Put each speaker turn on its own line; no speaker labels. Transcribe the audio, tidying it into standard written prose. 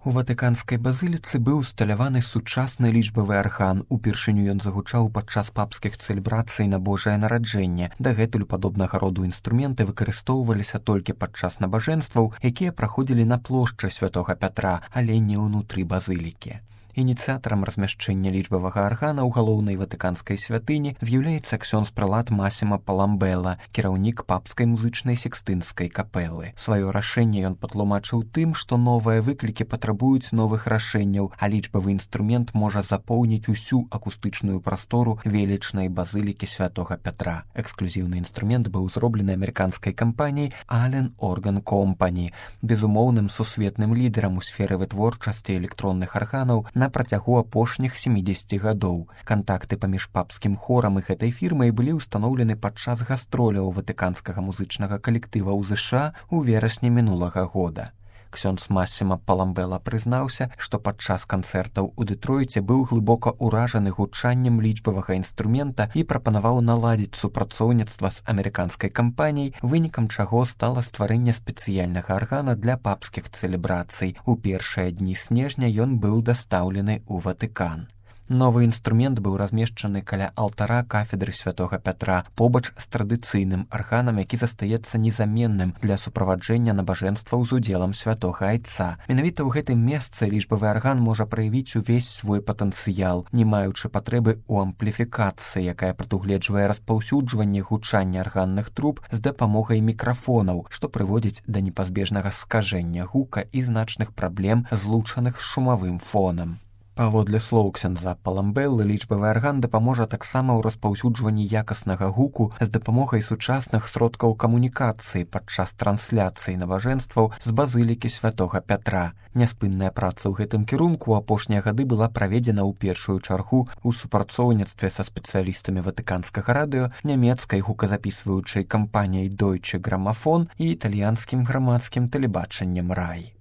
У ватыканскай базыліцы быў усталяваны сучасны лічбавы арган. Упершыню ён загучаў падчас папскіх цэлебрацый на Божае нараджэнне. Дагэтуль падобнага роду інструменты выкарыстоўваліся толькі падчас набажэнстваў, якія праходзілі на плошчы святога Пятра, але не ўнутры базылікі. Ініцыятарам размяшчэння лічбавага аргана ў галоўнай ватыканскай святыні з'яўляецца ксёндз-прэлат Масіма Паламбэла, кіраўнік папскай музычнай секстынскай капэлы. Сваё рашэнне ён патлумачыў тым, што новыя выклікі патрабуюць новых рашэнняў, а лічбавы інструмент можа запоўніць усю акустычную прастору велічнай базылікі святога Пятра. Эксклюзіўны інструмент быў зроблены амерыканскай кампаніяй Allen Organ Company, безумоўным сусветным лідарам у сферы вытворчасці электронных арганаў на працягу апошніх 70 гадоў. Кантакты паміж папскім хорам і гэтай фірмай былі ўстаноўлены падчас гастроляў ватыканскага музычнага калектыва ў ЗША ў верасні мінулага года. Ксёндз Масіма Паламбэла прызнаўся, што падчас канцэртаў у Дэтройце быў глыбока ўражаны гучаннем лічбавага інструмента і прапанаваў наладзіць супрацоўніцтва з амерыканскай кампаніяй, вынікам чаго стала стварэнне спецыяльнага аргана для папскіх цэлебрацый. У першыя дні снежня ён быў дастаўлены ў Ватыкан. Новы інструмент быў размешчаны каля алтара кафедры святога Пятра, побач з традыцыйным арганам, які застаецца незаменным для суправаджэння набажэнстваў з удзелам святога Айца. Менавіта ў гэтым месцы лічбавы арган можа праявіць увесь свой патэнцыял, не маючы патрэбы ў ампліфікацыі, якая прадугледжвае распаўсюджванне гучання арганных труб з дапамогай мікрафонаў, што прыводзіць да непазбежнага скажэння гука і значных праблем, злучаных з шумавым фонам. Паводле слоў ксяндза Паламбэлы, лічбавы арган дапаможа таксама ў распаўсюджванні якаснага гуку з дапамогай сучасных сродкаў камунікацыі падчас трансляцыі набажэнстваў з базылікі святога Пятра. Няспынная праца ў гэтым кірунку ў апошнія гады была праведзена ў першую чаргу ў супрацоўніцтве са спецыялістамі ватыканскага радыё, нямецкай гуказапісваючай кампаніяй Deutsche Grammophon і італьянскім грамадскім тэлебачаннем RAI.